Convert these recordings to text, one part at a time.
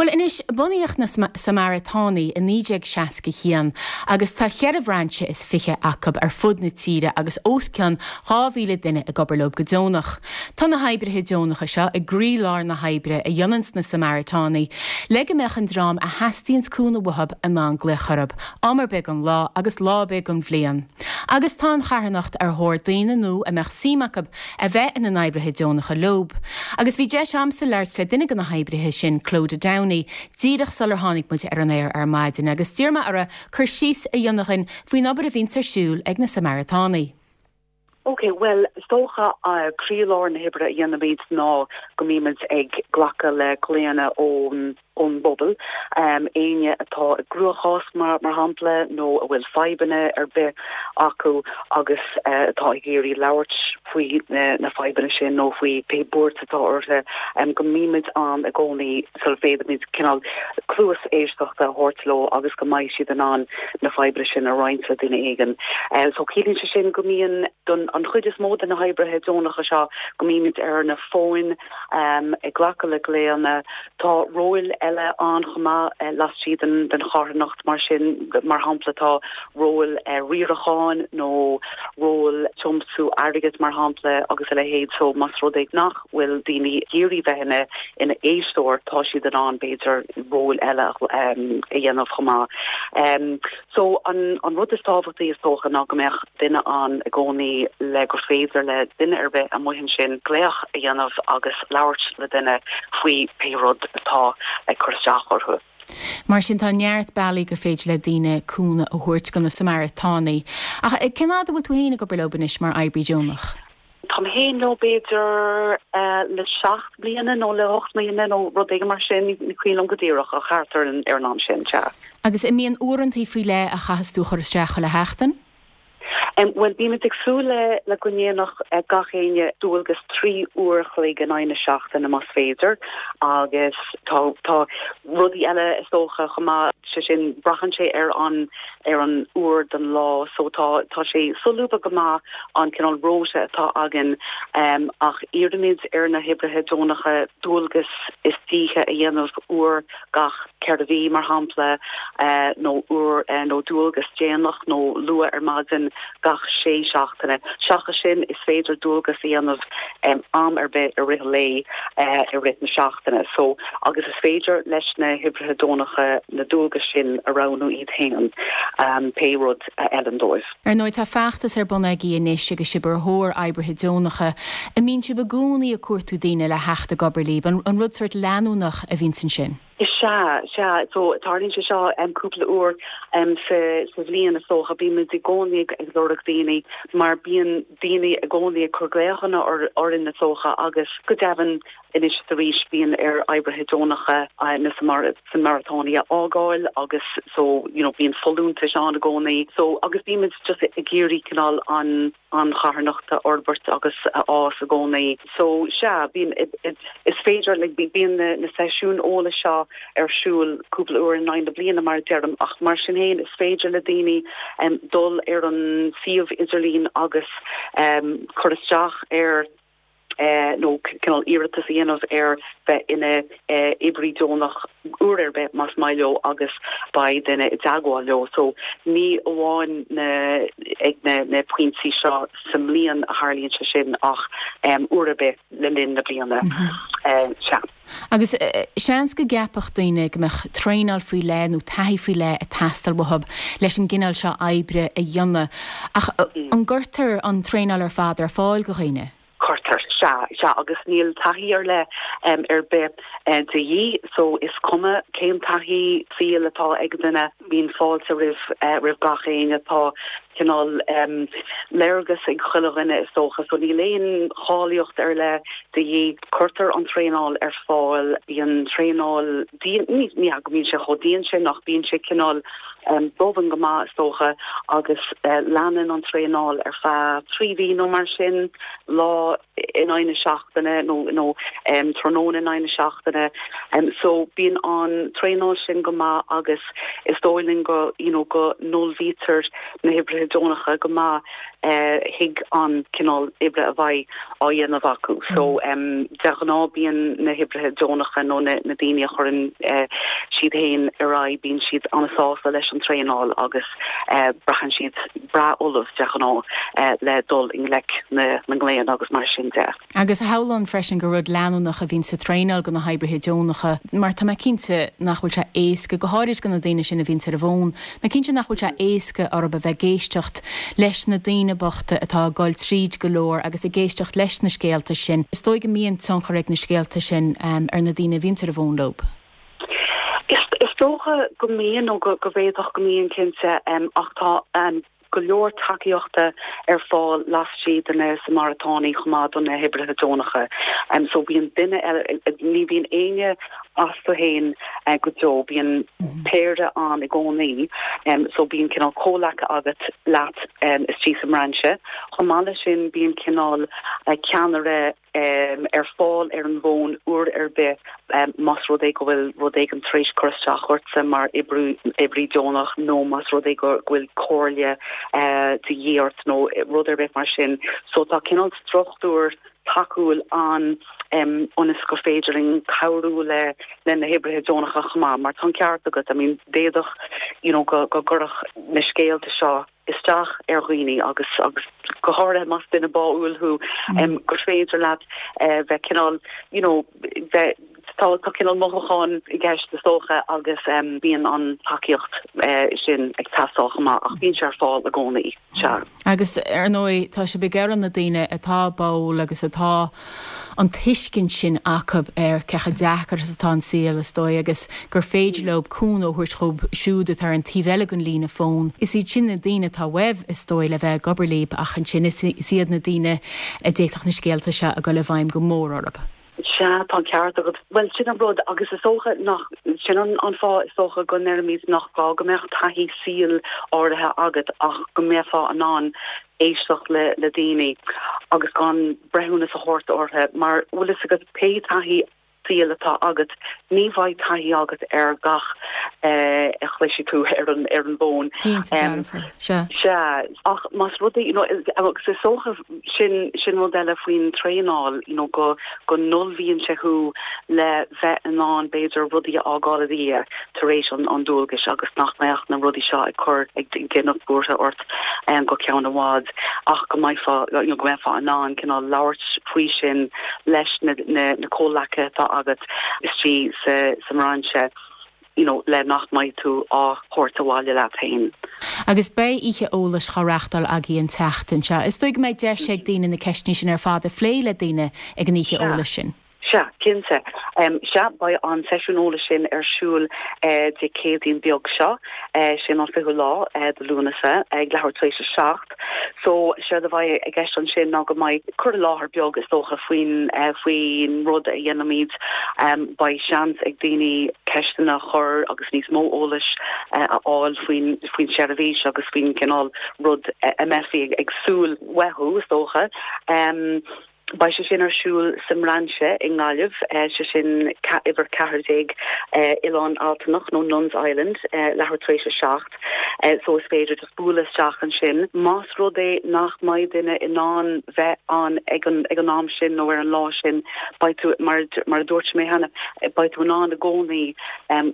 Bhuel anois, bunaíodh na Samaritánaigh i 1961 agus tá cheithre bhrainse is 20 acu ar fud na tíre agus os cionn 2,000 duine ag obair leo go deonach. Tá na hoibrithe deonacha seo i gcroílár na hoibre a dhéananns na Samaritánaigh le go mbeadh an dream a theastaíonns cúnamh uathu in ann glaoch orthu am ar bith den lá agus lá ar bith den bhliain. Agus tá an charthanacht ar thóir daoine nua a mbeadh suim acu a bheith ina n-oibrithe deonacha leob. Agus bhí deis a'msa labhairt le duine de na hoibrithe sin, Clodagh Downey, díreach sular tháinig muid ar an aer ar maidin agus d'iarr mé uirthi cur síos a dhéanamh dhuinn faoin obair a bhíonns ar siúl ag na Samaritánaigh. Ok, bhuel, is dócha croílár na hoibre a dhéanaimid ná go mbímid ag glacadh le glaonna ón ón bpobal, éinne atá i gcruachás mar shampla nó a bhfuil fadhbanna ar bith acu agus atá ag iarraidh labhairt faoi na fadhbanna sin nó faoi pé buairt atá orthu, go mbímid ann i gcónaí sula bhféadfaimid cineál cluas éisteachta a thabhairt leo agus go mbeidh siad in ann na fadhbanna sin a roinnt le duine éigin. So ciallaíonn sé sin go mbíonn, don an chuid is mó de na hoibrithe deonacha seo, go mbímid ar na fóin ag glacadh le glaonna. Tá róil eile ann chomh maith laistigh den den charthanacht mar sin, mar shampla tá róil riaracháin nó ról tiomsú airgid mar shampla agus a leithéid so más rud é nach bhfuil daoine ag iarraidh bheith ina ina éisteoir, tá siad in ann, b'fhéidir, róil eile a dhéanamh chomh maith. So, an an rud is tábhachtaí is dócha ná go mbeadh duine ann i gcónaí le gur féidir le duine ar bith amuigh ansin glaoch a dhéanamh agus labhairt le duine faoi pé rud atá ag cur isteach orthu. Mar sin, tá neart bealaí gur féidir le daoine cúnamh a thabhairt do na Samaritánaigh. Ach cén fhad a bhfuil tú féin ag obair leo anois mar oibrí deonach? Táim féin leo b'fhéidir le seacht mbliana nó le hocht mbliana nó rud éigin mar sin, ní cuimhin liom go díreach ach thart ar an am sin, sea. Agus an mbíonn uaireantaí faoi leith a chaitheas tú a chur isteach chuile sheachtain? Bhuel, bímid ag súil le go ndéanfadh gach éinne dualgas 3 uair a chloig in aghaidh na seachtaine más féidir agus tá tá rudaí eile is dócha chomh maith, sé sin braitheann sé ar an ar an uair den lá so tá tá sé solúbtha go maith an cineál rota atá againn ach iarraimid ar na hoibrithe deonacha dualgas istoíche a dhéanamh uair gach 4 mhí mar shampla nó uair nó dualgas déanach nó luath ar maidin gach sé seachtaine. Seachas sin is féidir dualgas a dhéanamh am ar bith i rith an lae i rith na seachtaine. So, agus is féidir leis na hoibrithe deonacha na dualgais sin a roghnú iad féin, pé rud a fheileann dóibh. Ar ndóigh, tá feachtas ar bun agaibh anois agus sibh ar thóir oibrithe deonacha. An mbíonn sibh i gcónaí ag cuartú daoine le theacht ag obair libh? An rud sórt leanúnach a bhíonns ansin? Is ea, sea. So, tarlaíonn sé seo cúpla uair sa sa bhliain is dócha. Bímid i gcónaí ag lorg daoine mar bíonn daoine i gcónaí ag cur glaochanna orainn is dócha agus go deimhin anois is arís bíonn ar oibrithe deonacha na Samaritánaigh a fhágáil agus so, you know, bíonn folúntais ann i gcónaí. So, agus bímid just ag iarraidh cineál an an charthanacht a fhorbairt agus a fhás i gcónaí. So, sea, bíonn, is féidir, like, bíonn na seisiúin eolais seo ar siúl cúpla uair in aghaidh na bliana, mar a deirim, ach mar sin féin, is féidir le daoine dul ar an suíomh idirlín agus cur isteach ar nó cineál iarratas a dhéanamh ar bheith ina oibrí deonach uair ar bith más maith leo agus beidh duine i dteagmháil leo. So ní amháin na ag na na pointí seo sa mbliain a tharlaíonn sé sin ach uair ar bith le linn na bliana. Sea. Agus seans go gceapfadh daoine go mbeadh traenáil faoi leith nó taithí faoi leith ag teastáil uathu leis an gcineál seo oibre a dhéanamh, ach an gcuirtear an traenáil ar fad ar fáil do dhaoine? Cuirtear, sea, sea, agus níl taithí ar leith ar bith de dhíth, so is cuma cén taithí saoil atá ag duine, bíonn fáilte roimh roimh gach éinne. Tá cineál léargas ag chuile dhuine is dócha, so níl aon cháilíocht ar leith de dhíth. Cuirtear an traenáil ar fáil, bíonn traenáil dian, ní hea go mbíonn sé chomh dian sin ach bíonn sé cineál domhain go maith is dócha agus leanann an traenáil ar feadh 3 mhí nó mar sin, lá in aghaidh na seachtaine nó nó tráthnóna in aghaidh na seachtaine. So bíonn an traenáil sin go maith agus is dóigh linn go you know go n-ullmhaítear na hoibrithe deonacha go maith. Thuig an cineál oibre a bheidh á dhéanamh acu. So, de ghnáth bíonn na hoibrithe deonacha nó na daoine a chuireann siad féin ar aghaidh, bíonn siad an-sásta leis an traenáil agus braitheann siad breá ullamh de ghnáth le dul i ngleic na nglaonna agus mar sin de. Agus shamhlóinn freisin gur rud leanúnach a bhíonn sa traenáil do na hoibrithe deonacha mar tá mé cinnte nach bhfuil sé éasca, go háirid do na daoine sin a bhíonns ar an bhfón, tá mé cinnte nach bhfuil sé éasca orthu a bheith ag éisteacht leis na daoine bochta atá ag dul tríd go leor agus ag éisteacht leis na scéalta sin. Is dóigh go mbíonn tionchar ag na scéalta sin ar na daoine a bhíonns ar an bhfón leo. Is dócha go mbíonn nó go bhféadfadh go mbíonn cinnte ach tá an go leor tacaíochta ar fáil laistigh de na Samaritánaigh chomh maith do na hoibrithe deonacha. So bíonn duine eile, ní bhíonn éinne astu féin go deo, bíonn péire ann i gcónaí. So bíonn cineál comhleacaí agat leat istigh sa mbrainse. Chomh maith leis sin bíonn cineál ceannaire ar fáil ar an bhfón uair ar bith más rud é go bhfuil rud éigin tar éis cur isteach ortsa mar oibrí deonach nó más rud é go bhfuil comhairle de dhíth ort nó rud ar bith mar sin. So tá cineál struchtúr tacúil ann ionas gur féidir linn cabhrú le le na hoibrithe deonacha chomh maith mar tá an ceart agat, I mean d'fhéadfadh you know go gcuirfeadh na scéalta seo isteach ar dhaoine agus agus go háirithe más duine báúil thú gur féidir leat bheith cineál you know bheith tá tá cineál mothúcháin i gceist is dócha agus bíonn an tacaíocht sin ag teastáil chomh maith ach bíonn sé ar fáil i gcónaí. Sea. Agus ar ndóigh tá sibh ag iarraidh na daoine atá báúil agus atá an tuiscint sin acu ar cé chomh deacair is atá an saol, is dóigh, agus gur féidir leo cúnamh a thabhairt dhóibh siúd atá ar an taobh eile den líne fóin. Is iad sin na daoine atá uaibh, is dóigh, le bheith ag obair libh, ach ansin is iad na daoine a d'fhéadfadh na scéalta seo a dhul i bhfeidhm go mór orthu. Sea, tá an ceart agat. Bhuel, sin an rud, agus is dócha nach, sin an fáth is dócha go ndeirimid nach gá go mbeadh taithí saoil áirithe agat ach go mbeifeá in ann éisteacht le le daoine agus gan breithiúnas a thabhairt orthu mar, bhfuil fhios agat, pé taithí saoil atá agat, ní bheidh taithí agat ar gach a chloisfidh tú ar an ar an bhfón. Cinnte dearfa, sea. Sea, ach más rud é, you know, agus is dócha sin sin rud eile faoin traenáil, you know, go go n-ullmhaíonn sé thú le bheith in ann b'fhéidir rudaí a fhágáil i ndiaidh tar éis an dualgais agus nach mbeadh na rudaí seo ag cur ag déanamh buartha ort go ceann i bhfad ach go mbeifeá you know go mbeifeá in ann cineál labhairt faoi sin leis na na comhleacaithe atá agat istigh sa sa mbrainse you know le nach mbeidh tú á thabhairt abhaile leat féin. Agus beidh oíche eolais á reachtáil agaibh an tseachtain seo. Is dóigh go mbeidh deis ag daoine na ceisteanna sin ar fad a phlé le daoine ag an oíche eolais sin. Sea, cinnte. Sea, beidh an seisiún eolais sin ar siúl Dé Céadaoin beag seo, sin an fichiú lá de Lúnasa, ag leathuair tar éis a 7. So, séard a bheidh i gceist ansin ná go mbeidh cur i láthair beag, is dócha, faoin faoin rud a dhéanaimid. Beidh seans ag daoine ceisteanna a chur agus níos mó eolais a fháil faoin faoin seirbhís agus faoin gcineál rud a mbeifí ag súil uathu, is dócha. Beidh sé sin ar siúl sa mbrainse i nGaillimh, sé sin uimhir 14 Oileán Altanach nó Nuns Island, leathuair tar éis a 7, so is féidir just bualadh isteach ansin. Más rud é nach mbeidh duine in ann bheith ann ag an ag an am sin nó ar an lá sin, beidh tú, mar mar a dúirt mé cheana, beidh tú in ann i gcónaí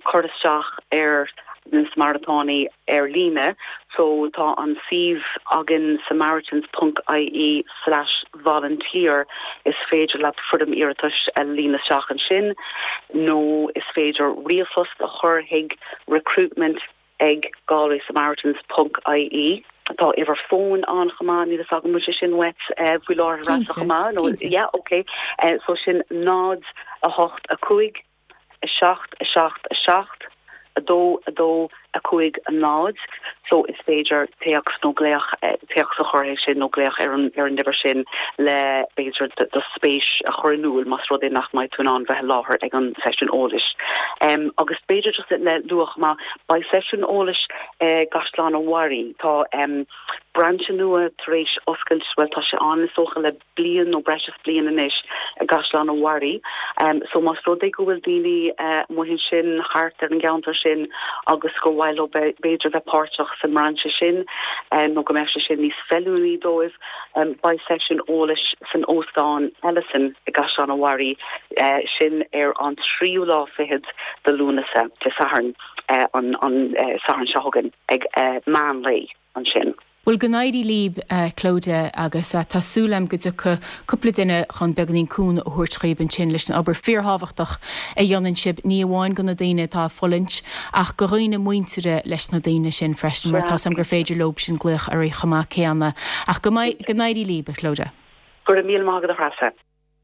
cur isteach ar na Samaritánaigh ar líne. So tá an suíomh againn samaritans ponc ie slash volunteer is féidir leat foirm iarratais a líonadh isteach ansin nó is féidir ríomhphost a chur chuig recruitment ag galwaysamaritans ponc ie. Tá uimhir fóin ann chomh maith, níl a fhios agam an bhfuil sé sin uait faoi láthair ar ais chomh maith nó yeah ok so sin 0 8 5 7 7 7 2 2 5 0 so is féidir téacs nó glaoch, téacs a chur chuige sin nó glaoch ar an ar an uimhir sin le b'fhéidir do spéis a chur in iúl más rud é nach mbeidh tú in ann bheith i láthair ag an seisiún eolais. Agus b'fhéidir just le lua chomh maith, beidh seisiún eolais i gCaisleán an Bharraigh, tá brainse nua tar éis oscailt, bhuel tá sé ann is dócha le bliain nó breis is bliain anois i gCaisleán an Bharraigh. So más rud é go bhfuil daoine amuigh ansin thart ar an gceantar sin agus gur mhaith leo b'fhéidir bheith páirteach. sa mbrainse sin nó go mbeadh sé sin níos feiliúnaí dóibh, beidh seisiún eolais san Óstán Ellison i gCaisleán an Bharraigh, sin ar an tríú lá fichead de Lúnasa, Dé Sathairn, an Satharn seo chugainn ag meán lae ansin. Bhuel, go n-éirí libh, a Clodagh, agus tá súil agam go dtiocfaidh cúpla duine chun beagáinín cúnamh a thabhairt dhaoib ansin leis an obair fíorthábhachtach a dhéanann sibh, ní amháin go na daoine atá ag fulaingt, ach go dhaoine muinteartha leis na daoine sin freisin, mar tá 's agam gur féidir leob sin glaoch oraibh chomh maith céanna. Ach go n-éirí libh, a Chlodagh. Go raibh míle maith agat, a Threasa.